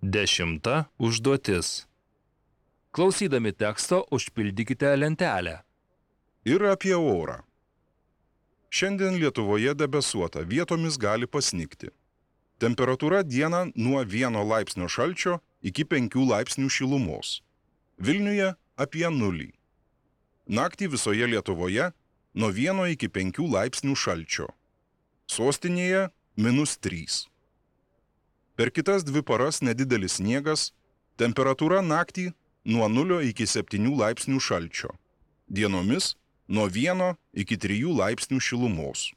10 užduotis. Klausydami teksto užpildykite lentelę. Ir apie orą. Šiandien Lietuvoje debesuota, vietomis gali pasnigti. Temperatūra dieną nuo 1 laipsnio šalčio iki 5 laipsnių šilumos. Vilniuje apie 0. Naktį visoje Lietuvoje nuo 1 iki 5 laipsnių šalčio. Sostinėje -3. Per kitas 2 paras nedidelis sniegas, temperatūra naktį nuo 0 iki 7 laipsnių šalčio. Dienomis nuo 1 iki 3 laipsnių šilumos.